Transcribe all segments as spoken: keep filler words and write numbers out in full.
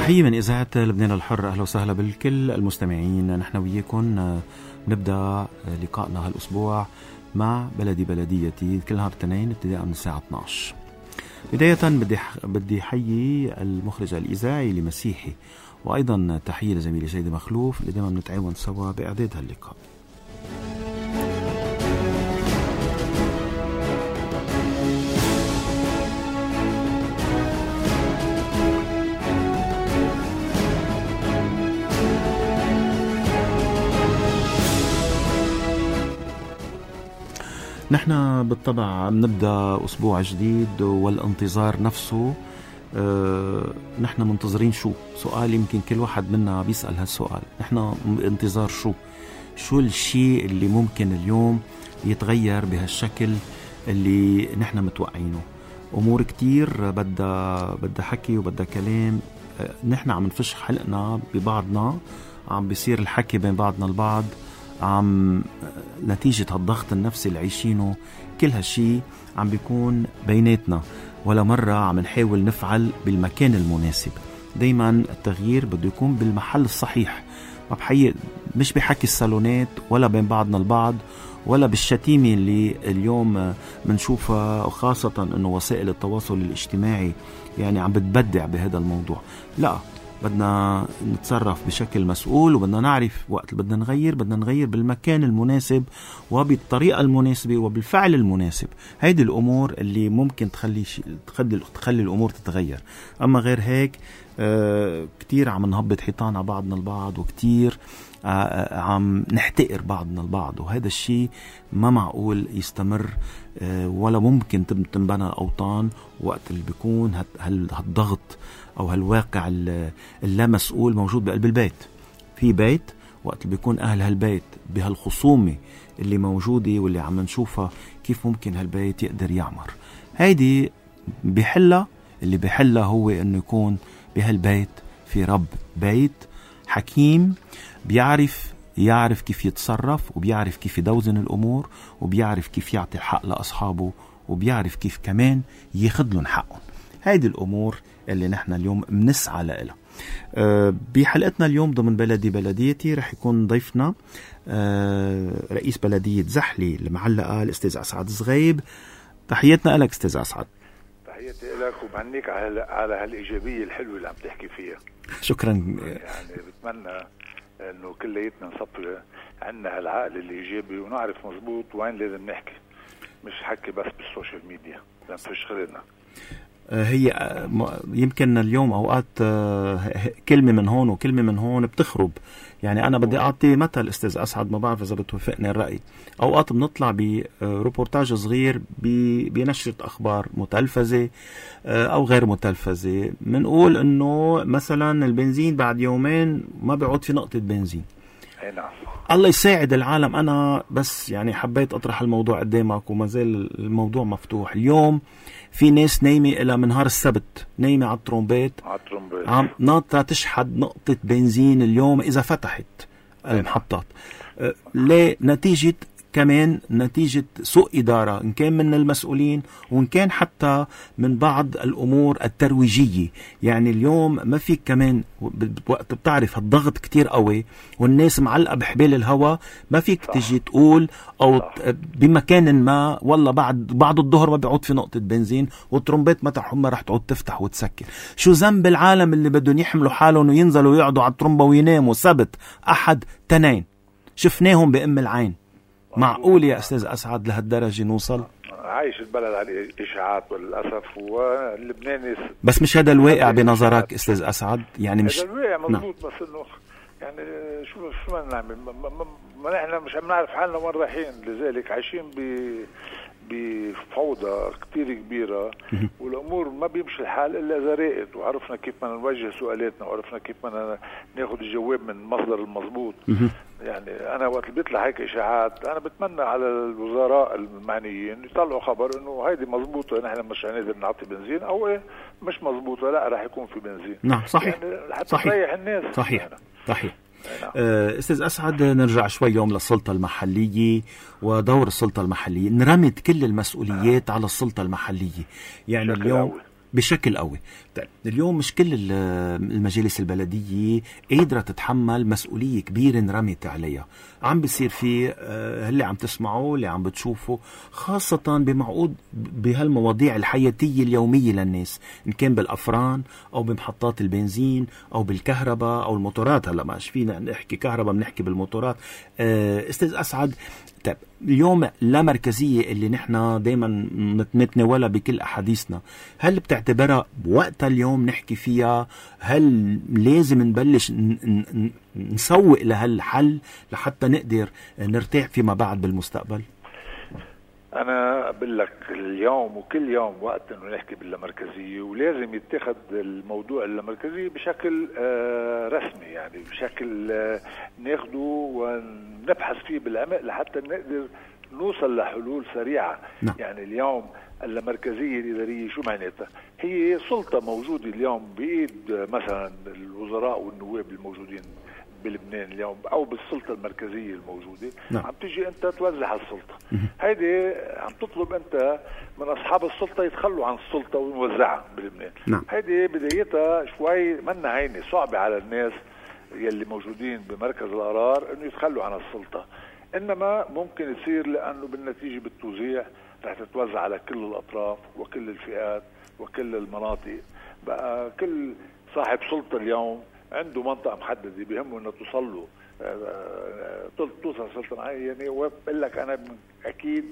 تحية من إذاعة لبنان الحر. أهلا وسهلا بالكل المستمعين. نحن وياكم نبدأ لقائنا هالأسبوع مع بلدي بلديتي كل نهار الاثنين ابتداء من الساعة اثني عشر. بداية بدي بدي حيي المخرج الإذاعي لمسيحي، وأيضا تحية لزميلي سيدي مخلوف اللي دائما بنتعاون سوا بإعداد هاللقاء. نحن بالطبع بنبدأ أسبوع جديد والانتظار نفسه. أه نحن منتظرين شو؟ سؤال يمكن كل واحد منا بيسأل هالسؤال. نحن انتظار شو؟ شو الشيء اللي ممكن اليوم يتغير بهالشكل اللي نحن متوقعينه؟ أمور كتير بدها بدها حكي وبدها كلام. أه نحن عم نفش حلقنا ببعضنا، عم بيصير الحكي بين بعضنا البعض، عم نتيجة هالضغط النفسي اللي عايشينه. كل هالشي عم بيكون بيناتنا، ولا مرة عم نحاول نفعل بالمكان المناسب. دايما التغيير بده يكون بالمحل الصحيح، ما بحقيقة مش بحكي الصالونات ولا بين بعضنا البعض ولا بالشتيمة اللي اليوم منشوفها، وخاصة انه وسائل التواصل الاجتماعي يعني عم بتبدع بهذا الموضوع. لا، بدنا نتصرف بشكل مسؤول، وبدنا نعرف وقت بدنا نغير بدنا نغير بالمكان المناسب وبالطريقة المناسبة وبالفعل المناسب. هيدي الأمور اللي ممكن تخلي تخلي تخلي الأمور تتغير. أما غير هيك آه كتير عم نهبط حيطان على بعضنا البعض، وكتير آه عم نحتقر بعضنا البعض، وهذا الشيء ما معقول يستمر آه ولا ممكن تنبنى أوطان وقت اللي بيكون هالضغط أو هالواقع اللا مسؤول موجود بقلب البيت. في بيت وقت اللي بيكون أهل هالبيت بهالخصومة اللي موجودة واللي عم نشوفها، كيف ممكن هالبيت يقدر يعمر؟ هيدي بحلها اللي بحلها هو أنه يكون بهالبيت في رب بيت حكيم، بيعرف يعرف كيف يتصرف، وبيعرف كيف يدوزن الأمور، وبيعرف كيف يعطي الحق لأصحابه، وبيعرف كيف كمان ياخد لهم حقهم. هيدي الأمور اللي نحن اليوم بنسعى لها. أه بحلقتنا اليوم ضمن بلدي بلديتي رح يكون ضيفنا أه رئيس بلدية زحلي المعلقة الأستاذ أسعد زغيب. تحياتنا لك أستاذ أسعد. تحياتي لك وبهنيك على على هالإيجابية الحلوة اللي عم تحكي فيها. شكرا. يعني بتمنى إنه كلياتنا نصفي عنا هالعقل الإيجابي ونعرف مزبوط وين لازم نحكي، مش حكي بس بالسوشيال ميديا لنفش غيرنا. هي يمكن اليوم أوقات كلمة من هون وكلمة من هون بتخرب. يعني أنا بدي أعطي مثل أستاذ أسعد، ما بعرف إذا بتوافقني الرأي. أوقات بنطلع بروبورتاج صغير بنشرة أخبار متلفزة أو غير متلفزة، منقول إنه مثلا البنزين بعد يومين ما بيعود في نقطة بنزين. الله يساعد العالم. أنا بس يعني حبيت أطرح الموضوع قدامك وما زال الموضوع مفتوح. اليوم في ناس نايمة إلى من نهار السبت، نايمة على الترومبيت عم ناطرة تشحد نقطة بنزين اليوم إذا فتحت المحطات. أه ليه؟ نتيجة كمان نتيجة سوء إدارة، إن كان من المسؤولين وإن كان حتى من بعض الأمور الترويجية. يعني اليوم ما فيك كمان وقت بتعرف الضغط كتير قوي والناس معلقة بحبال الهوا، ما فيك تجي تقول أو بمكان ما والله بعد بعد الظهر ما بيعود في نقطة بنزين والترومبيت متى ما رح تعود تفتح وتسكر. شو ذنب العالم اللي بدهم يحملوا حالهم وينزلوا ويقعدوا على الترومبة ويناموا سبت أحد تنين؟ شفناهم بأم العين. معقول يا أستاذ أسعد لهالدرجة نوصل؟ عايش البلد على الإشاعات والأسف، واللبناني بس مش هذا الواقع بنظرك أستاذ أسعد؟ يعني مش هذا الواقع مضبوط. بس إنه يعني شو شو ما نعمل؟ ما نحن مش عم نعرف حالنا وين رايحين، لذلك عايشين ب بفوضى كتير كبيرة، والأمور ما بيمشي الحال إلا إذا راقت وعرفنا كيف ما نوجه سؤالاتنا وعرفنا كيف ما ناخد الجواب من المصدر المضبوط. يعني أنا وقت بيطلع هيك إشاعات أنا بتمنى على الوزراء المعنيين يطلعوا خبر إنه هيدي مضبوطة، نحن مش هنقدر نعطي بنزين، أو إيه مش مضبوطة لا رح يكون في بنزين. نعم صحيح. يعني حتى صحيح. تريح الناس. صحيح. يعني. صحيح. أستاذ أسعد، نرجع شوي يوم للسلطة المحلية ودور السلطة المحلية. نرمت كل المسؤوليات على السلطة المحلية. يعني اليوم بشكل قوي. طيب اليوم مش كل المجالس البلدية قادرة تتحمل مسؤولية كبيرة انرمت عليها. عم بيصير في اللي عم تسمعوا اللي عم بتشوفوا خاصة بمعقود بهالمواضيع الحياتية اليومية للناس، إن كان بالأفران أو بمحطات البنزين أو بالكهرباء أو الموتورات. هلأ ما فينا نحكي كهرباء بنحكي بالموتورات. أستاذ أسعد، طيب اليوم لا مركزية اللي نحن دايما نتناولها بكل أحاديثنا، هل بتعتبرها بوقتها اليوم نحكي فيها؟ هل لازم نبلش نسوق لهالحل لحتى نقدر نرتاح فيما بعد بالمستقبل؟ أنا أقول لك اليوم وكل يوم وقت إنه نحكي باللامركزية، ولازم يتخذ الموضوع اللامركزية بشكل آه رسمي، يعني بشكل آه ناخده ونبحث فيه بالعمق لحتى نقدر نوصل لحلول سريعة. نعم. يعني اليوم اللامركزية الإدارية شو معناتها؟ هي سلطة موجودة اليوم بإيد مثلا الوزراء والنواب الموجودين بلبنان اليوم او بالسلطه المركزيه الموجوده. نعم. عم تيجي انت توزع السلطه، هيدي عم تطلب انت من اصحاب السلطه يتخلوا عن السلطه ونوزعها بلبنان. نعم. هيدي بدايتها شوي منا هينه صعبه على الناس يلي موجودين بمركز القرار انه يتخلوا عن السلطه، انما ممكن يصير لانه بالنتيجه بالتوزيع رح تتوزع على كل الاطراف وكل الفئات وكل المناطق. بقى كل صاحب سلطه اليوم عنده منطقة محددة بيهمه انه توصل له توصل سلطة معينة، وبقول لك انا اكيد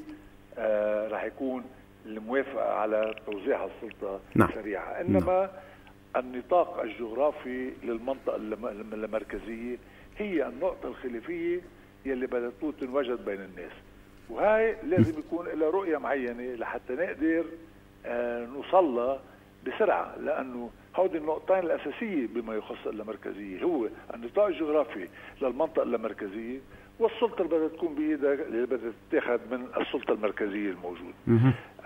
آه راح يكون الموافقة على توزيع السلطة نعم. سريعة. انما نعم. النطاق الجغرافي للمنطقة المركزية هي النقطة الخلافية يلي بدها تنوجد بين الناس، وهاي لازم يكون لها رؤية معينة لحتى نقدر آه نوصلها بسرعة، لأنه هودي النقطتين الأساسية بما يخص اللامركزية، هو النطاق الجغرافي للمنطقة اللامركزية والسلطة اللي بدها تكون بإيدها اللي بدها تتاخذ من السلطة المركزية الموجودة.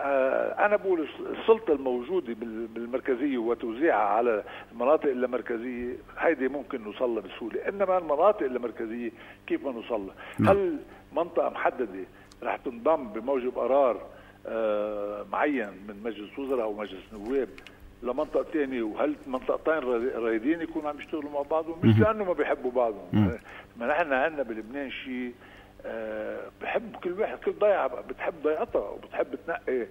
آه أنا بقول السلطة الموجودة بالمركزية وتوزيعها على المناطق اللامركزية هيدي ممكن نوصلها بسهولة، إنما المناطق اللامركزية كيف ما نوصلها؟ هل منطقة محددة رح تنضم بموجب قرار آه معين من مجلس وزراء أو مجلس نواب لمنطقة تانية، وهل منطقتين رايدين يكونوا عم يشتغلوا مع بعضهم؟ مش لأنه ما بيحبوا بعضهم، ما نحن عندنا بلبنان شيء أه بحب كل واحد كل ضيعة بتحب ضيعتها وبتحب تنقي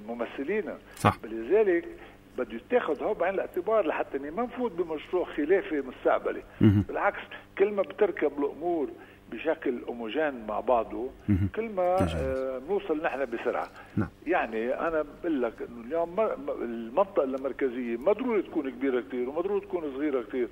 ممثلينا. صح. لذلك بده يتاخذ هو بعين الاعتبار لحتى ما نفوت بمشروع خلافي مستقبلي. بالعكس كل ما بتركب الأمور بشكل هوموجين مع بعضه كل ما آه نوصل نحن بسرعة. نعم. يعني أنا بقول لك إنه اليوم المنطقة اللامركزية ما ضروري تكون كبيرة كتير وما ضروري تكون صغيرة كتير،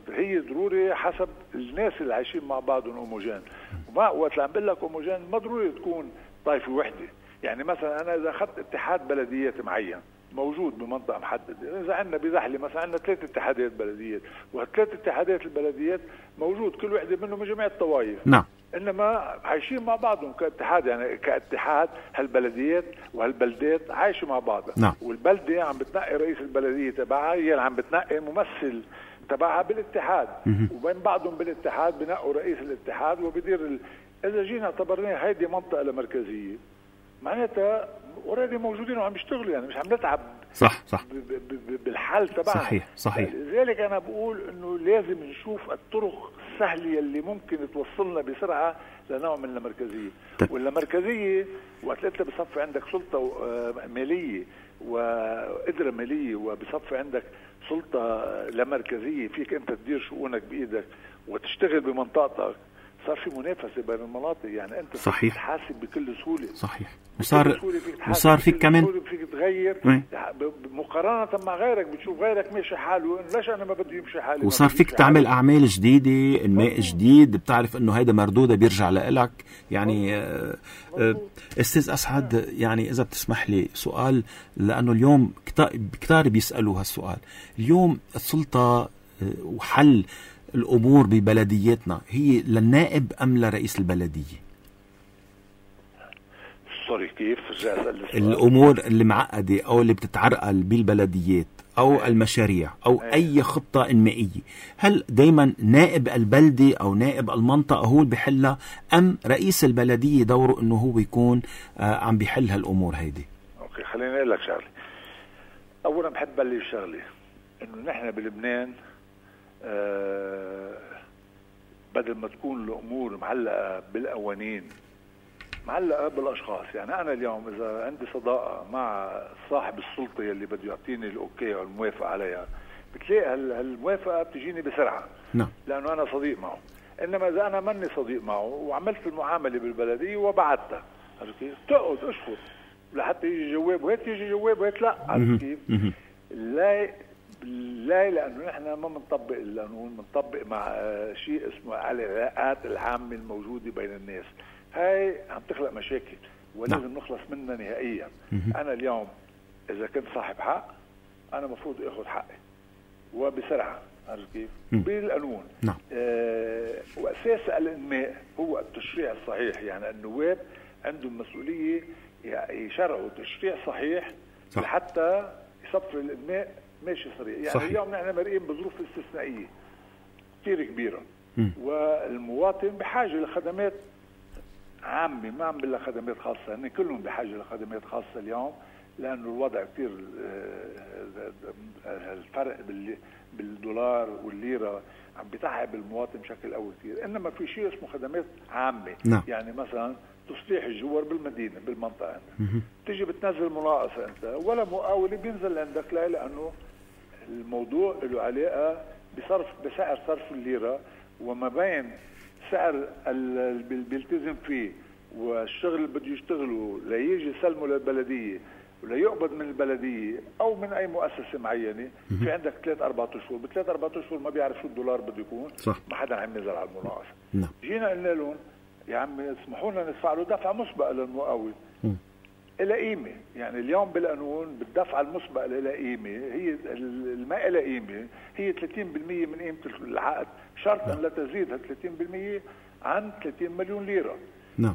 هي ضروري حسب الناس اللي عايشين مع بعضهم هوموجين. وما وقت اللي عم بقول لك هوموجين ما ضروري تكون طائفة وحدة. يعني مثلا أنا إذا أخذت اتحاد بلديات معين موجود بمنطقة محددة، إذا عندنا بزحلة مثلا عندنا ثلاث اتحادات بلديات، وهالثلاث اتحادات البلديات موجود كل وحدة منهم من جميع الطوائف. نعم. إنما عايشين مع بعضهم كاتحاد، يعني كاتحاد هالبلديات وهالبلدات عايشوا مع بعضها. نعم. والبلدة عم بتنقي رئيس البلدية تبعها، هي عم بتنقي ممثل تبعها بالاتحاد، وبين بعضهم بالاتحاد بنقوا رئيس الاتحاد وبدير ال... إذا جينا اعتبرناها هيدي منطقة لامركزية معناتها اوريدي موجودين وعم يشتغلوا، يعني مش عم نتعب. صح صح بالحل تبعها. صحيح صحيح. لذلك انا بقول انه لازم نشوف الطرق السهله اللي ممكن توصلنا بسرعه لنوع من اللامركزيه. واللامركزيه وقت انت بصفي عندك سلطه ماليه وقدره ماليه وبصفي عندك سلطه لامركزيه فيك انت تدير شؤونك بايدك وتشتغل بمنطقتك، صار في منافسه بين المناطق، يعني انت صحيح تحاسب بكل سهوله. صحيح. وصار وصار فيك كمان فيك تغير مقارنه مع غيرك، بتشوف غيرك ماشي حاله ليش انا ما بدي يمشي حالي. وصار فيك تعمل اعمال جديده، انماء جديد، بتعرف انه هيدا مردوده بيرجع لإلك. يعني آه آه استاذ اسعد، يعني اذا بتسمح لي سؤال، لانه اليوم كتار بيسالوا هالسؤال. اليوم السلطه وحل الأمور ببلدياتنا هي للنائب أم لرئيس البلدية؟ سوري كيف؟ الأمور اللي معقدة أو اللي بتتعرقل بالبلديات أو أي. المشاريع أو أي. أي خطة إنمائية، هل دايما نائب البلدة أو نائب المنطقة هو اللي بيحلها، أم رئيس البلدية دوره أنه هو يكون آه عم بيحل هالأمور هيدي؟ أوكي خليني أقول لك شغلة. اولا بحب بلش شغله انه نحن بلبنان آه بدل ما تكون الامور معلقه بالقوانين معلقه بالاشخاص. يعني انا اليوم اذا عندي صداقه مع صاحب السلطه يلي بده يعطيني الاوكي او الموافقه عليها، بتلاقي هالموافقه بتجيني بسرعه. نعم. لانه انا صديق معه. انما اذا انا ماني صديق معه وعملت المعامله بالبلديه وبعتها، عرفت كيف؟ تقعد اشهر لحتى يجي جواب وهيك يجي جواب وهيك لا، عرفت كيف؟ لا لا لانه نحن ما بنطبق القانون، بنطبق مع شيء اسمه العلاقات العامه الموجوده بين الناس. هاي عم تخلق مشاكل ولازم نخلص منها نهائيا. انا اليوم اذا كنت صاحب حق انا مفروض اخذ حقي وبسرعه، عرفت كيف؟ بالقانون. نعم. آه واساس الانماء هو التشريع الصحيح. يعني النواب عندهم مسؤوليه يشرعوا تشريع صحيح صح. لحتى يصفي الانماء ماشي صريح. يعني صحيح. اليوم نحن مرئين بظروف استثنائيه كثير كبيره م. والمواطن بحاجه لخدمات عامه، ما عم بقول خدمات خاصه، هن كلهم بحاجه لخدمات خاصه اليوم، لانه الوضع كثير الفرق بالدولار والليره عم بيتعب المواطن بشكل قوي كثير. انما في شيء اسمه خدمات عامه. نعم. يعني مثلا تصليح الجوار بالمدينه بالمنطقه عندك، تيجي بتنزل مناقصه انت ولا مقاول بينزل عندك، لا لانه الموضوع له علاقه بصرف بسعر صرف الليره وما بين سعر اللي بيلتزم فيه والشغل اللي بده يشتغله ليجي يسلمه للبلديه ولا يقبض من البلديه او من اي مؤسسه معينه. في عندك ثلاث اربع اشهر، بثلاث اربع اشهر ما بيعرف شو الدولار بده يكون. صح. ما حدا عم ينزل على المناقصه. نعم. جينا قلنا لهم يا عمي اسمحوا لنا ندفع له دفعه مسبقه للمقاول إلى قيمه. يعني اليوم بالقانون بالدفعه المسبقه إلى قيمه، هي ما إلى قيمه هي ثلاثين بالمئة من قيمه العقد، شرط ان لا تزيد ثلاثين بالمئة عن ثلاثين مليون ليره. نعم.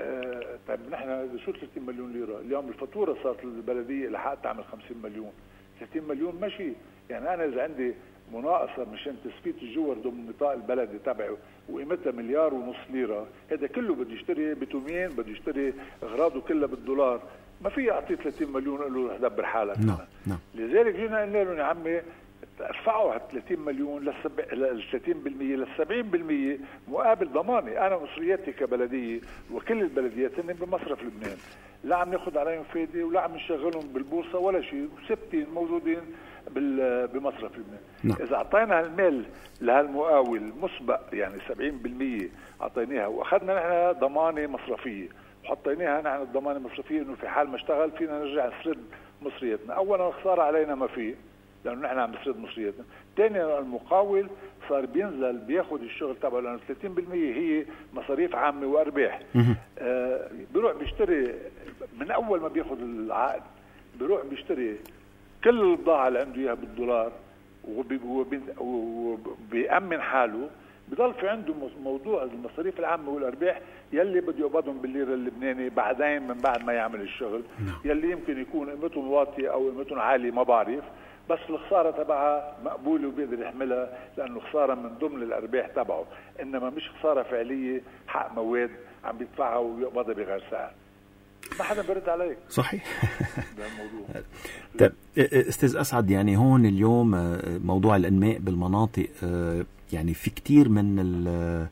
آه طيب نحن شو ثلاثين مليون ليره؟ اليوم الفاتوره صارت للبلديه الحق تعمل خمسين مليون، ثلاثين مليون ماشي. يعني انا اذا عندي مناقصه مشان تثبيت الجوار ضمن النطاق البلدي تبعه وقيمتها مليار ونص ليره، هذا كله بده يشتري بتومين، بده يشتري اغراضه كلها بالدولار، ما في اعطيه ثلاثين مليون قال له دبر حالك. نعم. نعم. لذلك جينا قلنا لهم يا عمي ارفعوا على ثلاثين مليون لل ثلاثين بالمئة لل سبعين بالمئة مقابل ضماني. انا مصرياتي كبلديه وكل البلديات هن بمصرف لبنان، لا عم ناخذ عليهم فايده ولا عم نشغلهم بالبورصه ولا شيء، ثابتين موجودين بمصرف لبنان. نعم. اذا اعطينا المال لهالمقاول مسبق يعني سبعين بالمئة اعطيناها واخذنا نحن ضمانه مصرفيه وحطيناها نحن الضمانه المصرفيه انه في حال ما اشتغل فينا نرجع نسرد مصرياتنا. اولا الخساره علينا ما فيه لانه نحن عم نسرد مصرياتنا. ثانيا المقاول صار بينزل بياخذ الشغل تبعه لانه ثلاثين بالمئة هي مصاريف عامه وارباح. آه بيروح بيشتري من اول ما بياخذ العقد، بيروح بيشتري كل البضاعه اللي عنده اياها بالدولار وبيأمن حاله. بضل في عنده موضوع المصاريف العامه والارباح يلي بده يقبضهم بالليره اللبناني بعدين من بعد ما يعمل الشغل، يلي يمكن يكون قيمتهم واطيه او قيمتهم عاليه ما بعرف، بس الخساره تبعها مقبوله وبيقدر يحملها لانه خساره من ضمن الارباح تبعه، انما مش خساره فعليه حق مواد عم بيدفعها ويقبضها بغير سعر. ما حدا برد عليك. صحيح. ده الموضوع. طيب استاذ اسعد، يعني هون اليوم موضوع الانماء بالمناطق يعني في كتير من ال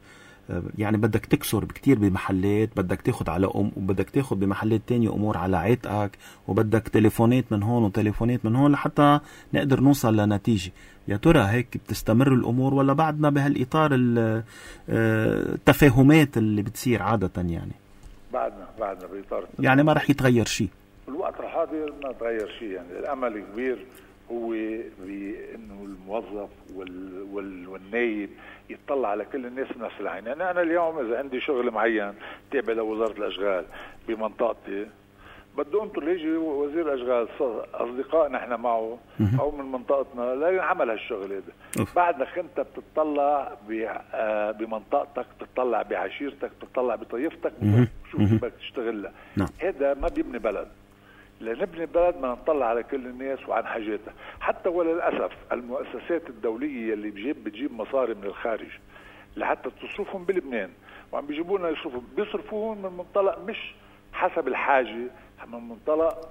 يعني بدك تكسر بكتير بمحلات، بدك تاخد على أم وبدك تاخد بمحلات تانية أمور على عاتقك، وبدك تليفونات من هون وتليفونات من هون لحتى نقدر نوصل لنتيجة. يا ترى هيك بتستمر الأمور ولا بعدنا بهالإطار التفاهمات اللي بتصير عادة؟ يعني بعدنا بعدنا بإطار يعني ما رح يتغير شيء الوقت الحاضر، ما تغير شيء. يعني الأمل الكبير هو بأنه الموظف وال... وال... والنايب يتطلع على كل الناس بنفس العين. يعني أنا اليوم إذا عندي شغل معين تابع لوزارة الأشغال بمنطقتي، بده أنتوا يجي وزير الأشغال أصدقائنا إحنا معه أو من منطقتنا لا ينعمل هالشغل هذا. بعدك أنت بتطلع بمنطقتك، بتطلع بعشيرتك، بتطلع بطيفتك، شو بدك تشتغلها. هذا ما بيبني بلد. لنبني بلد ما نطلع على كل الناس وعن حاجاتها. حتى وللأسف المؤسسات الدولية اللي بجيب بتجيب مصاري من الخارج لحتى تصرفهم بلبنان وعم بيجيبونا يصرفوا، بيصرفوهم من منطلق مش حسب الحاجة، من منطلق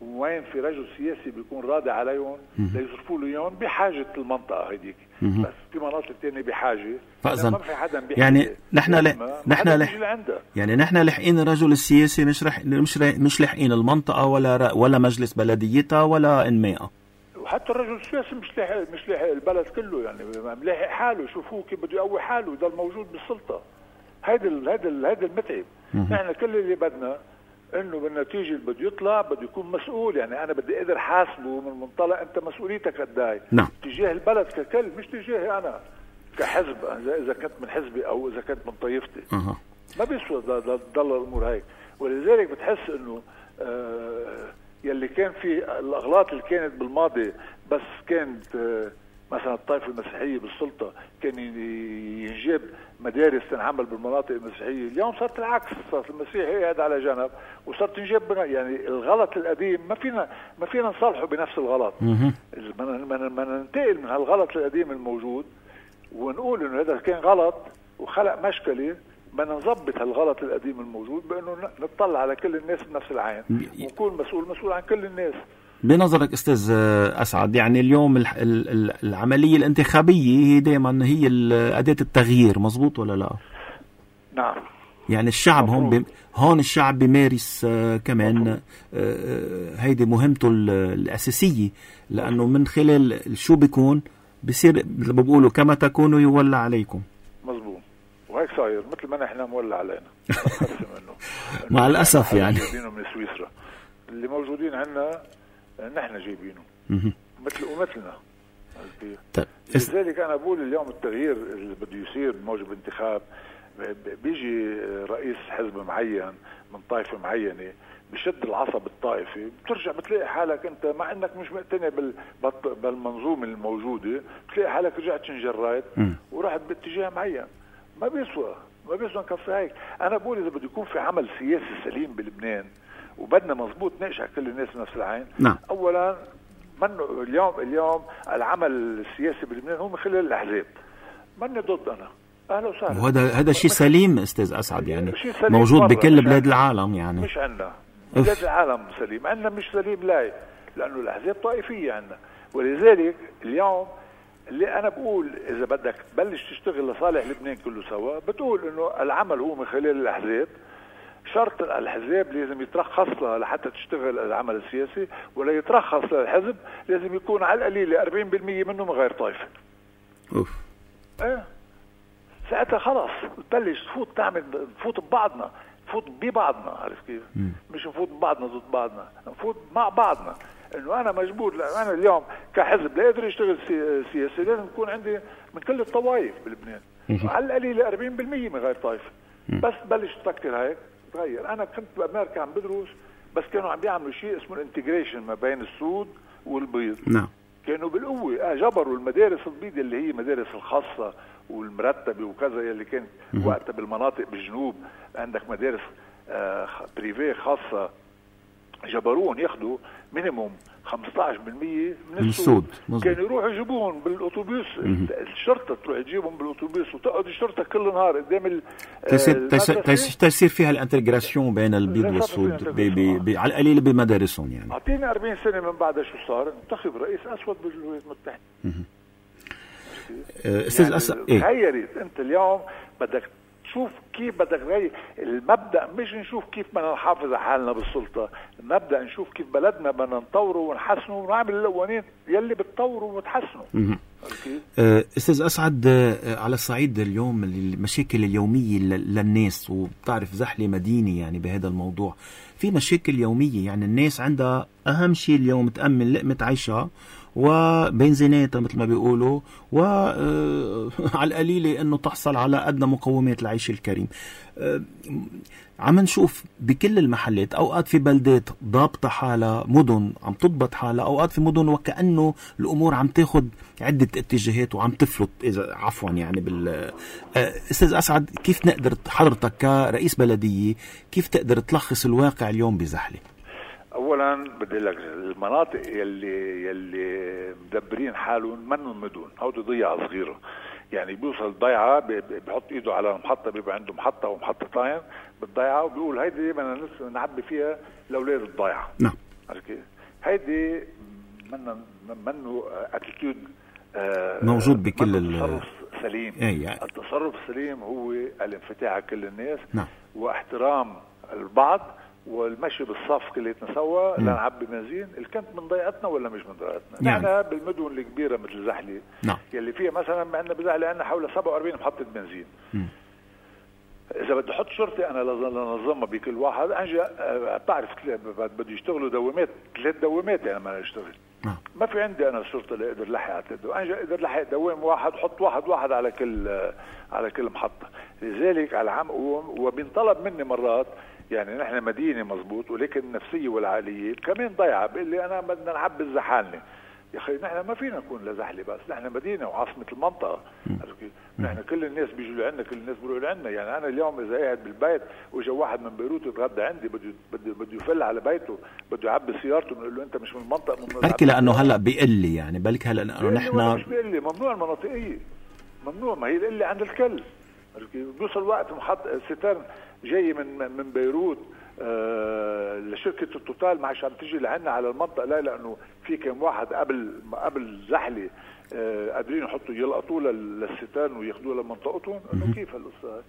وين في رجل سياسي بيكون راضي عليهم ليصرفوا له اياهم بحاجه المنطقه هذيك. بس في مناطق ثانيه بحاجه، فاذا ما في حدا بحاجه. يعني نحن ل... نحن لح... يعني نحن لحقين الرجل السياسي، مش رح... مش رح... مش لحقين المنطقه ولا ر... ولا مجلس بلديتها ولا انمائها. وحتى الرجل السياسي مش لاحق مش لاحق البلد كله، يعني ملاحق حاله، شوفوه كيف بده يقوي حاله يضل موجود بالسلطه. هيدا ال... هيدا ال... هيدا المتعب. نحن كل اللي بدنا انه بالنتيجه اللي بده يطلع بده يكون مسؤول. يعني انا بدي اقدر حاسبه من منطلق انت مسؤوليتك قد ايه نعم. تجاه البلد ككل، مش تجاهي انا كحزب، اذا كنت من حزبي او اذا كنت من طائفتي. أه. ما بيسوى تضل الامور هيك. ولذلك بتحس انه آه يلي كان في الاغلاط اللي كانت بالماضي، بس كانت آه مثلا الطائفه المسيحيه بالسلطه كان ينجب مدارس تنعمل بالمناطق المسيحيه، اليوم صارت العكس، صارت المسيحي قاعد على جنب وصارت تنجب. يعني الغلط القديم ما فينا ما فينا نصالحه بنفس الغلط. ما ننتقل من هالغلط القديم الموجود ونقول انه هذا كان غلط وخلق مشكله، بدنا نظبط هالغلط القديم الموجود بانه نطلع على كل الناس بنفس العين ونكون مسؤول مسؤول عن كل الناس. بنظرك استاذ اسعد، يعني اليوم العمليه الانتخابيه هي دائما هي اداه التغيير، مزبوط ولا لا؟ نعم. يعني الشعب هون بي... هون الشعب بيمارس آه كمان آه هيدي مهمته الاساسيه، لانه من خلال شو بيكون بصير مثل ما بيقولوا كما تكونوا يولى عليكم. مزبوط. وهيك صاير مثل ما نحن مولى علينا. مع الاسف يعني جايبينه من سويسرا، اللي موجودين عندنا نحن جايبينه مثل ومثلنا. طيب. لذلك انا بقول اليوم التغيير اللي بده يصير بموجب انتخاب، بيجي رئيس حزب معين من طائفه معينه بشد العصب الطائفي، بترجع بتلاقي حالك انت مع انك مش مقتنع بالمنظومه الموجوده، بتلاقي حالك رجعت شنجريت ورحت باتجاه معين. ما بيسوى ما بيسوى نكفي هيك. انا بقول اذا بده يكون في عمل سياسي سليم بلبنان وبدنا مزبوط نقشع كل الناس بنفس العين. نعم. اولا منه اليوم اليوم العمل السياسي بلبنان هو من خلال الاحزاب. ماني ضد انا، اهلا وسهلا، وهذا هذا شيء سليم استاذ اسعد، يعني موجود بكل بلاد العالم. يعني مش عندنا بلاد العالم سليم، عندنا مش سليم لا، لانه الاحزاب طائفيه عندنا. ولذلك اليوم اللي انا بقول اذا بدك تبلش تشتغل لصالح لبنان كله سوا، بتقول انه العمل هو من خلال الاحزاب. شرط الحزب لازم يترخص لها لحتى تشتغل العمل السياسي، ولا يترخص للحزب لازم يكون على القليل أربعين بالمئة منه من غير طائفه. اوف ايه ساعتها خلاص تبلش تفوت تعمل تفوت ببعضنا، نفوت ببعضنا، عارف كيف؟ مم. مش نفوت ببعضنا ضد بعضنا، نفوت مع بعضنا. انه انا مجبور، انا اليوم كحزب لا قادر اشتغل سياسي، لازم يكون عندي من كل الطوائف بلبنان على القليل أربعين بالمئة من غير طائفه. بس بلش تفكر هيك تغير. انا كنت بامريكا عم بدرس، بس كانوا عم بيعملوا شيء اسمه الانتجريشن ما بين السود والبيض. نعم. كانوا بالقوه اه جبروا المدارس البيض اللي هي مدارس الخاصه والمرتبه وكذا، اللي كانت وقتها بالمناطق بالجنوب عندك مدارس آه بريفيه خاصه، جبروهم ياخذوا مينيموم خمسة عشر بالمئة من السود. كانوا يروحوا يجيبوهم بالاتوبيس، الشرطه تروح تجيبهم بالاتوبيس وتقعد الشرطه كل نهار قدام تصير فيها الانتجراسيون بين البيض والسود بي بي بي على القليل بمدارسهم. يعني اعطيني أربعين سنه من بعدها شو صار؟ انتخب رئيس اسود بالولايات المتحده. استاذ يعني أس... إيه؟ غيرت انت اليوم بدك شوف كيف بدك تغير المبدأ، مش نشوف كيف بدنا نحافظ على حالنا بالسلطة، المبدأ نشوف كيف بلدنا بدنا نطوره ونحسنه ونعمل القوانين يلي بتطوره وتحسنه. استاذ اسعد، على الصعيد اليوم المشاكل اليومية للناس، وبتعرف زحلة مدينة يعني بهذا الموضوع، في مشاكل يومية، يعني الناس عندها اهم شيء اليوم تأمن لقمة عيشها وبنزيناتها مثل ما بيقولوا، وعلى القليلة انه تحصل على ادنى مقومات العيش الكريم. عم نشوف بكل المحلات اوقات في بلدات ضابطة حالها، مدن عم تضبط حالها، اوقات في مدن وكأنه الامور عم تاخد عدة اتجاهات وعم تفلت، اذا عفوا يعني بال استاذ اسعد، كيف نقدر حضرتك كرئيس بلدية كيف تقدر تلخص الواقع اليوم بزحلة؟ اولا بدي لك المناطق يلي يلي مدبرين حالهم منهم مدن، هودي ضيعه صغيره، يعني بيوصل ضيعه بحط ايده على المحطه، بيبقى عنده محطه ومحطتين بالضيعه، وبيقول هيدي بدنا نعبي فيها لاولاد الضيعه. نعم. هيدي منه منه اتيتيود موجود بكل التصرف سليم. أي يعني. التصرف السليم هو الانفتاح على كل الناس. نعم. واحترام البعض والمشي بالصف كليتنا سوا لنعبي بنزين. الكنت من ضيعتنا ولا مش من ضيعتنا؟ يعني. نحن بالمدن الكبيره مثل زحله. نعم. يلي فيها مثلا عندنا بزحله عندنا حوالي سبعة وأربعين محطه بنزين. م. اذا بدي احط شرطي انا لنظمها بكل واحد انجا بتعرف بده يشتغلوا دوامات ثلاث دوامات يعني ما نشتغل. نعم. ما في عندي انا الشرطه اللي اقدر لحق على ثلاث انجا اقدر لحق دوام واحد حط واحد واحد على كل على كل محطه. لذلك على عم وبينطلب مني مرات يعني نحن مدينه مزبوط ولكن النفسيه والعاليه كمان ضيعه. بيقول لي انا بدنا نعبي الزحالنه. يا اخي نحن ما فينا نكون لزحله بس نحن مدينه وعاصمه المنطقه. نحن كل الناس بيجوا لعنا كل الناس بيروحوا لعنا. يعني انا اليوم اذا قاعد بالبيت واجا واحد من بيروت يتغدى عندي بده بده بده يفل على بيته بده يعبي سيارته بنقول له انت مش من المنطقه. من بلكي لانه هلا بيقل لي يعني بلكي هلا لانه نحن مش بيقل لي ممنوع المناطقيه ممنوع. ما هي القله عند الكل. بيوصل وقت محط ستار جاي من من بيروت آه لشركه التوتال ما عشان تيجي لعنا على المنطقه. لا لانه في كم واحد قبل قبل زحله آه قادرين يحطوا يلقطوه للستان وياخذوه لمنطقتهم. انه كيف هالقصه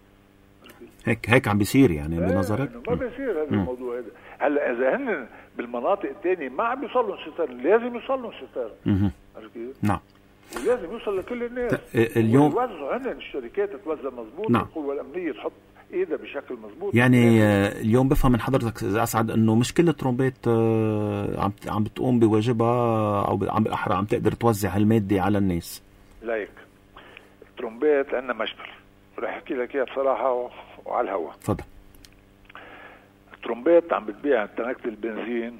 هيك هيك عم بيصير يعني بنظرك؟ ما بيصير هذا الموضوع هذا. هلا اذا هن بالمناطق الثانيه ما عم بيوصل لهم ستان لازم يوصل لهم ستان. نعم. ولازم يوصل لكل الناس. اليوم يوزعوا هن الشركات توزع مضبوط. نعم. القوى الامنيه تحط ايدها بشكل مضبوط. يعني اليوم بفهم من حضرتك اذا اسعد انه مش كل الترومبات عم عم بتقوم بواجبها او عم بالاحرى عم تقدر توزع هالماده على الناس. لايك الترومبات عندنا مشكله رح احكي لك اياها بصراحه وعلى الهواء. تفضل. الترومبات عم بتبيع تنكة البنزين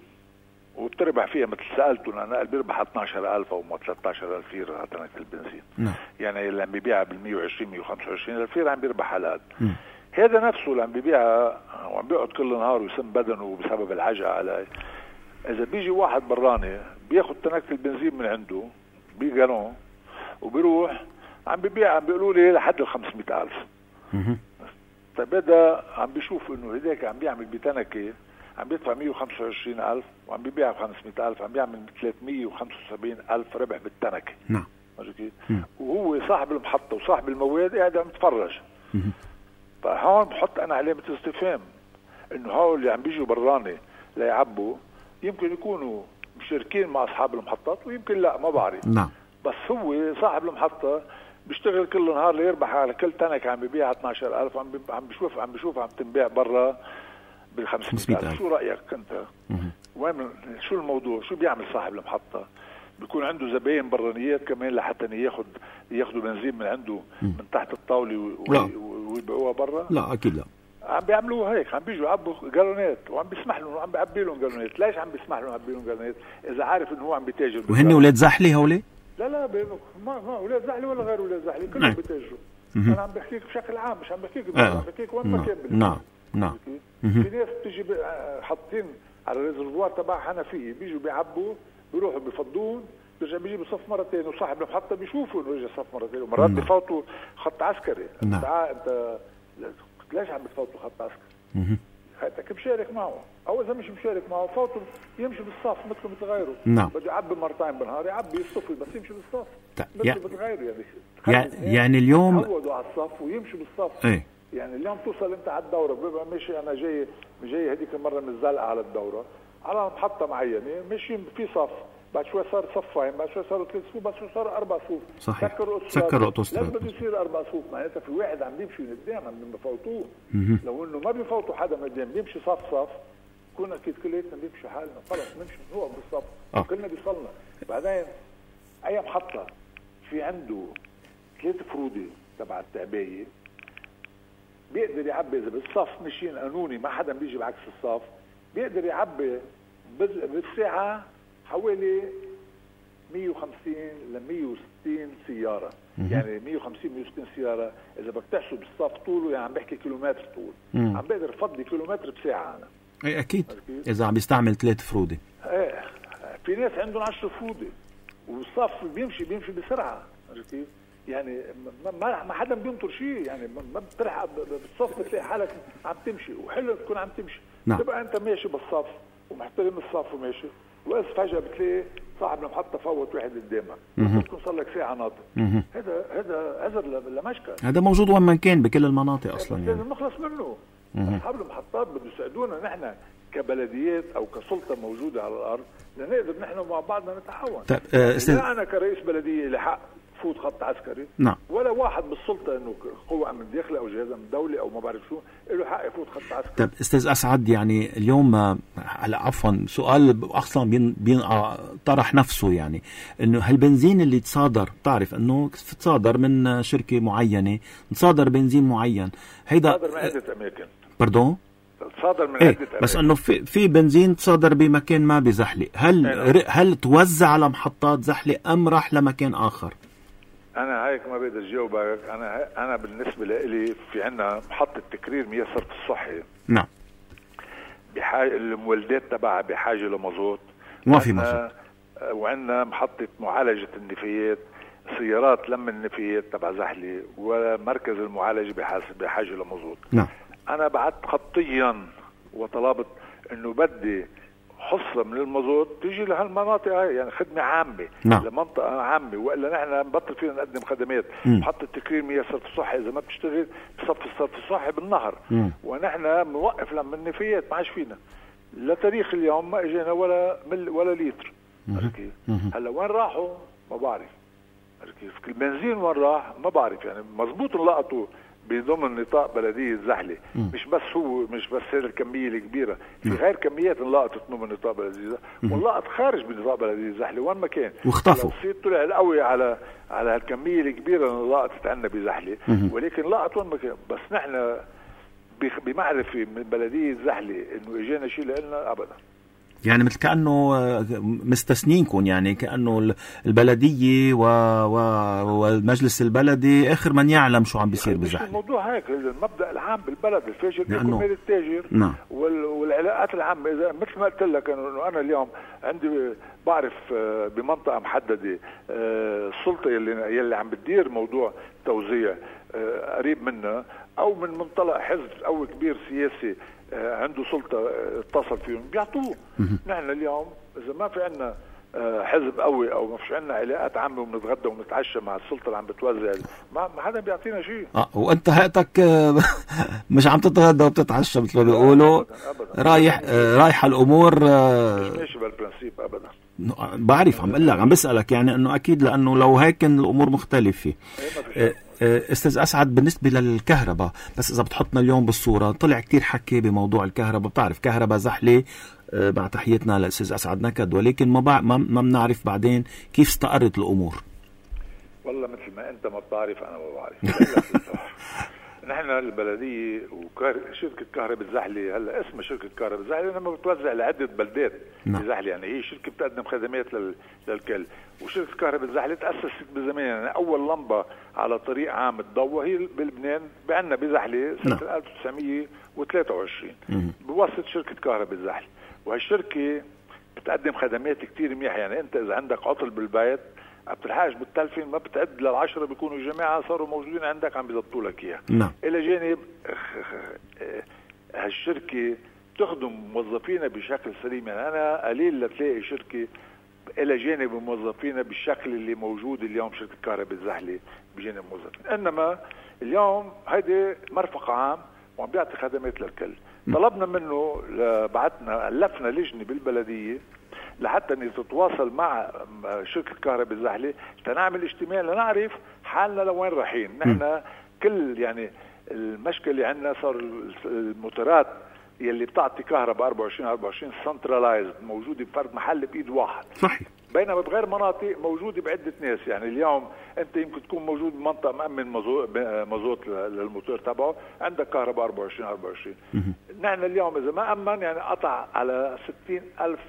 وبتربح فيها مثل سالته انا بيربح اثني عشر ألف او ثلاثة عشر ألف ليره على تنكة البنزين. نعم. يعني اللي عم بيبيعها بال مية وعشرين مية وخمسة وعشرين ألف ليره عم بيربح على قد. هذا نفسه اللي عم بيبيعها وعم بيقعد كل نهار ويسم بدنه بسبب العجقه عليه. اذا بيجي واحد براني بياخذ تنكة البنزين من عنده بجالون وبيروح عم بيبيع عم بيقولوا لي لحد ال خمسمية ألف. طيب هذا عم بيشوف انه هداك عم بيعمل بتنكة عم بيدفع مية وخمسة وعشرين ألف وعم بيبيع ب خمسمية ألف عم بيعمل ثلاثمية وخمسة وسبعين ألف ربح بالتنكة. نعم. وهو صاحب المحطة وصاحب المواد قاعد عم يتفرج. فهون بحط انا علامة استفهام انه هؤلاء اللي عم بيجوا براني ليعبوا يمكن يكونوا مشاركين مع اصحاب المحطات ويمكن لا ما بعرف. نعم. بس هو صاحب المحطة بيشتغل كل نهار ليربح على كل تنك عم بيبيع اثني عشر ألف عم عم بيشوف عم بيشوف عم تنباع برا بال خمسمية ألف. شو رأيك انت؟ وين شو الموضوع؟ شو بيعمل صاحب المحطة؟ بيكون عنده زباين برانيات كمان لحتى ياخذ ياخذوا بنزين من عنده من تحت الطاولة ويبيعوها برا؟ لا اكيد لا. عم بيعملوها هيك عم بيجوا يعبوا جالونات وعم بيسمح لهم عم بيعبي لهم جالونات. ليش عم بيسمح لهم يعبي لهم جالونات اذا عارف انه هو عم بيتاجر؟ وهن اولاد زحله هولي؟ لا لا ما ما اولاد زحله ولا غير اولاد زحله كلهم بيتاجروا. انا عم بحكيك بشكل عام مش عم بحكيك عم بحكيك وين ما كان. نعم نعم. في ناس بتيجي حاطين على الريزرفوار تبع حنفيه بيجوا بيعبوا بيروحوا بيفضون بيرجع بيجيبوا صف مرة ثانية وصاحب المحطة بيشوفوا انه اجى صف مرة ثانية ومرات بيفوتوا خط عسكري. نعم. انت ليش عم بتفوتوا خط عسكري؟ هاتك مشارك معه او اذا مش مشارك معه فوتوا يمشي بالصف مثل مثل غيره. نعم. بده يعبي مرتين بالنهار يعبي يصطفي بس يمشي بالصف مثل يعني مثل غيره. يعني يعني اليوم يعودوا على الصف ويمشوا بالصف. ايه؟ يعني اليوم توصل انت على الدورة بيبقى ماشي انا جاي جاي هذيك المرة من الزلقة على الدورة على محطة معينة ماشيين في صف بعد شوي صار صفين بعد شوي صاروا ثلاث صفوف بعد شوي صار اربع صفوف. صحيح. سكروا سكروا اوتوستراد لازم بده يصير اربع صفوف معناتها في واحد عم بيمشي من قدام عم بفوتوه. لو انه ما بيفوتوا حدا من قدام بيمشي صف صف كنا اكيد كلياتنا بنمشي حالنا خلص نمشي نوقف بالصف. آه. كلنا بيصلنا. بعدين اي محطة في عنده ثلاث فرودة تبع التعباية بيقدر يعبي اذا بالصف ماشيين قانوني ما حدا بيجي بعكس الصف بيقدر يعبي بالساعة حوالي مية وخمسين ل مية وستين سيارة. يعني مية وخمسين مية وستين سيارة إذا بدك تحسب الصف طوله يعني عم بحكي كيلومتر طول. مم. عم بقدر فضي كيلومتر بساعة أنا. أي أكيد. أكيد إذا عم بيستعمل ثلاث فرودة. إيه في ناس عندهم عشر فرودة والصف بيمشي بيمشي بسرعة. عرفتي؟ يعني ما ما حدا بينطر شيء يعني ما بتلحق بالصف بتلاقي حالك عم تمشي وحلو تكون عم تمشي. نعم. تبقى أنت ماشي بالصف ومحترم الصف وماشي، وإذا فجأة بتلاقي صاحب المحطة فوت واحد قدامك ممكن صار لك ساعة ناطر. هذا هذا عذر لمشكل. هذا موجود وين ما كان بكل المناطق أصلا يعني. لازم نخلص منه. أصحاب المحطات بده يساعدونا نحن كبلديات أو كسلطة موجودة على الأرض لنقدر نحن مع بعضنا نتعاون. طيب آه استاذ، لا أنا كرئيس بلدية اللي حق فوت خط عسكري، نعم، ولا واحد بالسلطة إنه قوة من داخلي أو جهاز من دولة أو ما بعرف شو له حق يفوت خط عسكري. طيب استاذ أسعد، يعني اليوم هلا عفوا سؤال اصلا بين بين طرح نفسه، يعني انه هالبنزين اللي تصادر، بتعرف انه تصادر من شركه معينه، تصادر بنزين معين، هيدا صادر من عده اماكن. باردون صادر من ايه عده اماكن، بس انه في في بنزين تصادر بمكان ما بزحلق، هل أنا. هل توزع على محطات زحلق ام راح لمكان اخر؟ انا هيك ما بقدر جاوبك. انا انا بالنسبه لي في عندنا محطه تكرير مياه الصرف الصحي، نعم، بحاجه المولدات تبعها بحاجه لمازوت، ما في مازوت، وعندنا محطه معالجه النفايات، سيارات لم النفايات تبع زحلي، ومركز المعالجه بحاجه لمازوت. نعم. انا بعت خطيا وطلبت انه بدي حصة من المازوت تيجي لهالمناطق هاي، يعني خدمة عامة. نعم. لمنطقة عامة، وإلا نحن نبطل فينا نقدم خدمات. محطة تكرير مياه الصرف الصحي إذا ما بتشتغل بصف الصرف الصحي بالنهر، م. ونحن موقف لما النفايات ما عاش فينا لتاريخ اليوم ما اجينا ولا مل ولا لتر. كيف؟ هلا وين راحوا ما بعرف. كيف؟ البنزين وين راح ما بعرف، يعني مزبوط نلقطوا بضمن نطاق بلدية زحلة، مش بس هو مش بس هذه الكمية الكبيرة، في غير كميات انلقطت ضمن نطاق بلدية زحلة، ونلقط خارج من نطاق بلدية زحلة وين ما كان، واختفوا. لو طلع القوي على على هالكمية الكبيرة اللي انلقطت عندنا بزحلة، ولكن لقط وين ما كان. بس نحن بمعرفة من بلدية زحلة انه اجينا شيء لنا ابدا، يعني مثل كأنه مستثنينكم، يعني كأنه البلدية و... و... والمجلس البلدي آخر من يعلم شو عم بيصير بزحلة. الموضوع هيك، المبدأ العام بالبلد الفاجر بيكون مال التاجر. نعم. وال... والعلاقات العامة. إذا مثل ما قلت لك إنه أنا اليوم عندي بعرف بمنطقة محددة السلطة يلي يلي عم بتدير موضوع توزيع قريب منا، أو من منطلق حزب قوي كبير سياسي عنده سلطة اتصل فيهم بيعطوه. نحن اليوم إذا ما في عنا حزب قوي أو ما فيش عنا علاقات عامة وبنتغدى ونتعشى مع السلطة اللي عم بتوزع، ما حدا بيعطينا شيء. اه وأنت هاتك مش عم تتغدى وبتتعشى مثل ما بيقولوا، رايح رايح الأمور مش ماشي بالبرنسيب أبدا. بعرف، عم اقول لك، عم بسألك يعني انه اكيد، لانه لو هيك كان الامور مختلفة. استاذ اسعد، بالنسبة للكهرباء بس اذا بتحطنا اليوم بالصورة، طلع كتير حكي بموضوع الكهرباء، بتعرف كهرباء زحلة مع تحيتنا للاستاذ اسعد نكد، ولكن ما بع... ما بنعرف بعدين كيف استقرت الامور. والله مثل ما انت ما بتعرف انا ما بعرف. نحن البلدية وشركة كهرباء الزحلة، هلا اسمها شركة كهرباء الزحلة لما بتوزع لعدة بلدات الزحلة، يعني هي شركة بتقدم خدمات لل... للكل. وشركة كهرباء الزحلة تأسست بزمان، يعني أول لمبة على طريق عام تضوى هي بلبنان بعنا بزحلة سنة ألف وتسعمية وثلاثة وعشرين بواسطة شركة كهرباء الزحلة. وهالشركة بتقدم خدمات كتير منيحة، يعني أنت إذا عندك عطل بالبيت بتلحقش بالتلفين، ما بتعد للعشرة بيكونوا الجماعة صاروا موجودين عندك عم بيضبطوا لك اياه. نعم. الى جانب هالشركة تخدم موظفينا بشكل سليم، يعني انا قليل لتلاقي شركة الى جانب موظفينا بالشكل اللي موجود اليوم شركة كهرباء الزحلة بجانب موظفين. انما اليوم هيدي مرفق عام وعم بيعطي خدمات للكل. طلبنا منه، بعتنا ألفنا لجنة بالبلدية لحتى ان تتواصل مع شركة كهرباء الزحلة تنعمل اجتماع لنعرف حالنا لوين رايحين. نحن كل يعني المشكلة اللي عندنا صار الموتورات يلي بتعطي كهرباء أربعة وعشرين أربعة وعشرين سنترلايزد موجودة بفرد محل بإيد واحد. صحيح. بينما بغير مناطق موجودة بعدة ناس، يعني اليوم أنت يمكن تكون موجود بمنطقة مأمن مازوت للموتور تبعه، عندك كهرباء أربعة وعشرين أربعة وعشرين. نحن اليوم إذا ما أمن يعني قطع على ستين ألف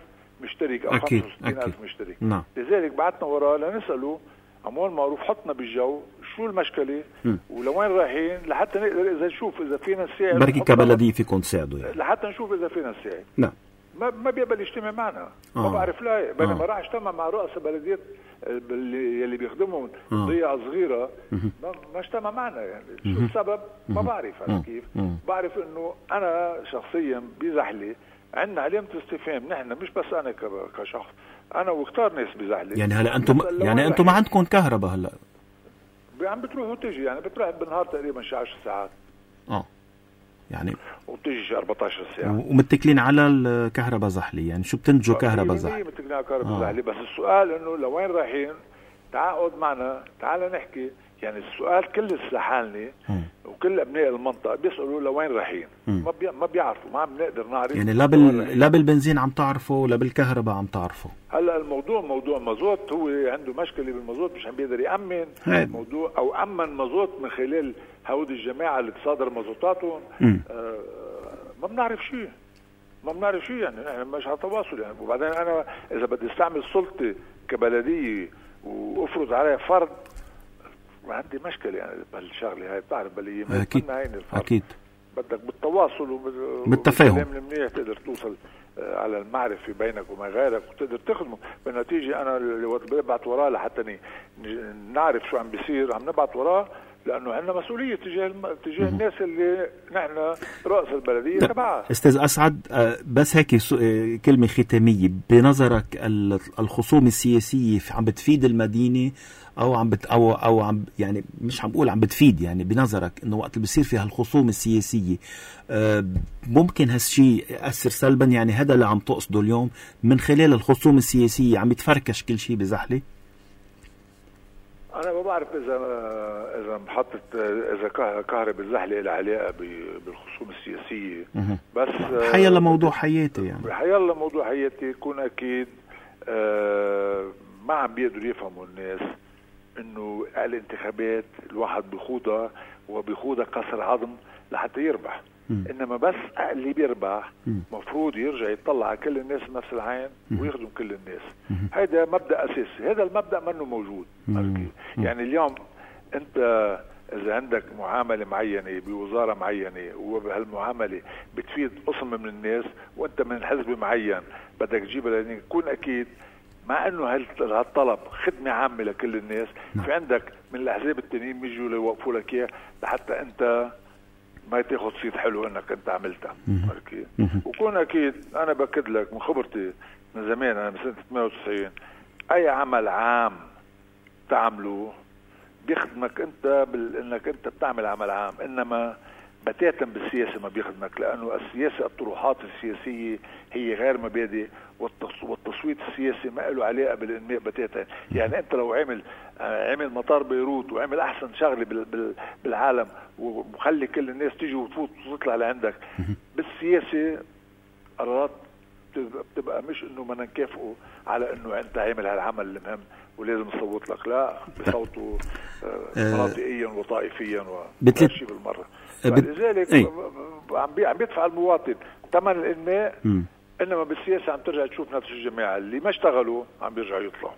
مشترك أو خمسة وستين ألف مشترك. نعم. لذلك بعتنا وراه لنسأله عمول معروف حطنا بالجو شو المشكلة م. ولوين رايحين لحتى نقدر إذا نشوف إذا فينا نساعد، بركي كبلدية فيكم تساعدوا يعني. لحتى نشوف إذا فينا نساعد. نعم. ما ما بيقبل يجتمع معنا. آه. ما بعرف لا، بينما آه. راح اجتمع مع رؤساء بلديات اللي بيخدمهم آه. ضيعة صغيرة ما, ما اجتمع معنا، يعني شو السبب ما بعرف. أنا كيف بعرف إنه أنا شخصيا بزحلة عندنا علامة استفهام نحن، مش بس أنا كشخص، أنا وكتار ناس بزحلة. يعني هلا أنتم يعني أنتم ما عندكم كهرباء هلا؟ عم بتروح وتجي، يعني بتروح بالنهار تقريبا شي عشر ساعات. اه يعني وبتجي شي أربعتاشر ساعة. ومتكلين على الكهرباء زحلي، يعني شو بتنتجوا كهرباء زحلي؟ متكلين على كهرباء زحلي، بس السؤال إنه لوين رايحين؟ تعاقد معنا، تعال نحكي. يعني السؤال كل السحالني وكل ابناء المنطقه بيسالوا لوين رايحين، ما بي... ما بيعرفوا، ما عم نقدر نعرف. يعني لا بال... لا بالبنزين عم تعرفوا ولا بالكهرباء عم تعرفوا. هلا الموضوع موضوع مازوت، هو عنده مشكله بالمازوت، مش عم بيقدر يامن الموضوع او امن مازوت من خلال هودي الجماعه اللي تصادر مازوتاتهم. آه ما بنعرف شيء، ما بنعرف شيء، يعني نحن مش على تواصل يعني. وبعدين انا اذا بدي استعمل سلطتي كبلديه وافرض عليها فرض، عندي مشكلة يعني بهالشغلة هاي، بتعرف بلية ما أكيد أكيد بدك بالتواصل وبالتفاهم منيح تقدر توصل على المعرفة بينك وما غيرك وتقدر تخدمه. بالنتيجة أنا اللي وقت ببعت وراه لحتى نعرف شو عم بيصير عم نبعت وراه، لأنه عندنا مسؤولية تجاه الم... تجاه الناس اللي نحن رأس البلدية تبعها. أستاذ أسعد، بس هيك كلمة ختامية، بنظرك الخصوم السياسية عم بتفيد المدينة او عم بت او او عم يعني مش عم بقول عم بتفيد، يعني بنظرك انه وقت اللي بيصير فيها الخصوم السياسيه ممكن هالشيء ياثر سلبا؟ يعني هذا اللي عم تقصده اليوم من خلال الخصوم السياسيه عم يتفركش كل شيء بزحله؟ انا ما بعرف اذا اذا محطه اذا كهرباء الزحله لها علاقه بالخصوم السياسيه، بس حيلا موضوع حياتي يعني حيلا موضوع حياتي يكون اكيد ما عم بيقدروا يفهموا الناس انه الانتخابات الواحد بيخوضها وبيخوضها كسر عظم لحتى يربح. م. انما بس اللي بيربح مفروض يرجع يطلع على كل الناس بنفس العين ويخدم كل الناس. هيدا مبدأ اساسي، هذا المبدأ منه موجود. يعني اليوم انت اذا عندك معاملة معينة بوزارة معينة وبهالمعاملة بتفيد قسم من الناس وانت من حزب معين بدك تجيبها، لان يكون اكيد مع انه هالطلب خدمه عامه لكل الناس، نعم. في عندك من الاحزاب التانيين بيجوا ليوقفوا لك اياه لحتى انت ما تاخذ صيت حلو انك انت عملتها. وكون اكيد انا باكد لك من خبرتي من زمان، انا من سنه ثمانية وتسعين اي عمل عام تعمله بيخدمك انت بانك انت بتعمل عمل عام، انما بتاتا بالسياسة ما بيخدمك، لأنه السياسة الطروحات السياسية هي غير مبادئ، والتصويت السياسي ما له علاقة بالإنماء بتاتا. يعني أنت لو عمل عمل مطار بيروت وعمل أحسن شغلة بالعالم وخلي كل الناس تيجي وتفوت وتطلع لعندك، بالسياسة قرارات بتبقى مش إنه ما نكافئه على إنه أنت عامل هالعمل المهم ولازم نصوت لك، لا بصوتوا مناطقيا وطائفيا وكل شيء بالمرة. فلذلك ايه؟ عم بيدفع المواطن ثمن الانماء، انما بالسياسه عم ترجع تشوف نفس الجماعه اللي ما اشتغلوا عم بيرجعوا يطلعوا.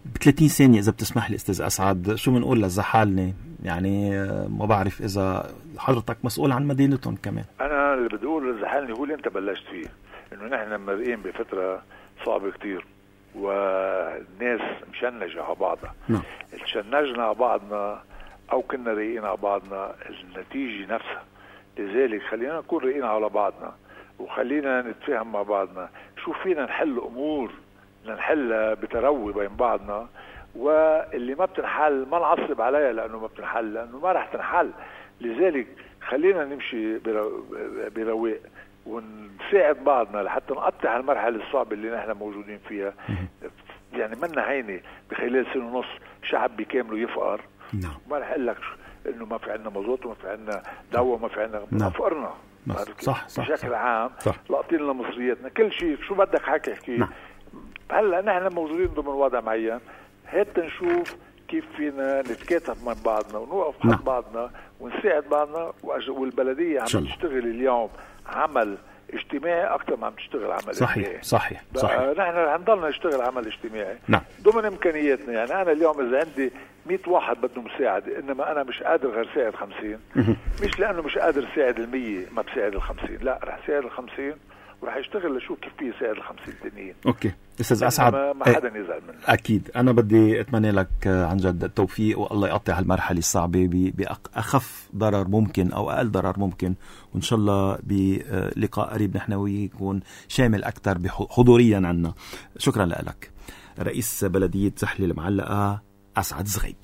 ب ثلاثين ثانيه اذا بتسمح لي استاذ اسعد، شو بنقول للزحالنه؟ يعني ما بعرف اذا حضرتك مسؤول عن مدينتهم كمان. انا اللي بدي اقول للزحالنه هو اللي انت بلشت فيه، انه نحن مرقين بفتره صعبه كتير والناس مشنجه على بعضها. نعم. تشنجنا على بعضنا او كنا رايقين على بعضنا، النتيجه نفسها. لذلك خلينا نكون رايقين على بعضنا وخلينا نتفاهم مع بعضنا، شو فينا نحل امور نحلها بتروي بين بعضنا، واللي ما بتنحل ما نعصب عليها لانه ما بتنحل، لانه ما رح تنحل. لذلك خلينا نمشي برواق ونساعد بعضنا لحتى نقطع المرحله الصعبه اللي نحن موجودين فيها. يعني منا هينه بخلال سنه ونص شعب بكامله يفقر. نعم. ما رح اقول لك انه ما في عندنا مازوت وما في عندنا دواء وما في عندنا، نعم. فقرنا صح صح بشكل صح. عام لاقطين لنا مصرياتنا كل شيء، شو بدك حكي احكي. نعم. هلا نحن موجودين ضمن وضع معين، هات نشوف كيف فينا نتكاتف مع بعضنا ونوقف حد نعم. بعضنا ونساعد بعضنا، والبلديه عم تشتغل اليوم عمل اجتماعي اكثر ما عم تشتغل عمل صحيح اجتماعي. صحيح صحيح نحن هنضلنا نشتغل عمل اجتماعي نعم. ضمن امكانياتنا. يعني انا اليوم اذا عندي مية واحد بده مساعده انما انا مش قادر غير ساعد خمسين، مش لانه مش قادر ساعد المية ما بساعد الخمسين، لا رح ساعد الخمسين ورح يشتغل لشوف كيف في يساعد الخمسين التانيين. اوكي استاذ اسعد، ما, ما حدا يزعل منه. اكيد انا بدي اتمنى لك عن جد التوفيق، والله يقطع هالمرحله الصعبه باخف ضرر ممكن او اقل ضرر ممكن، وان شاء الله بلقاء قريب نحن وياك يكون شامل اكثر حضوريا عنا. شكرا لك. رئيس بلديه زحله المعلقه اسعد زغيب.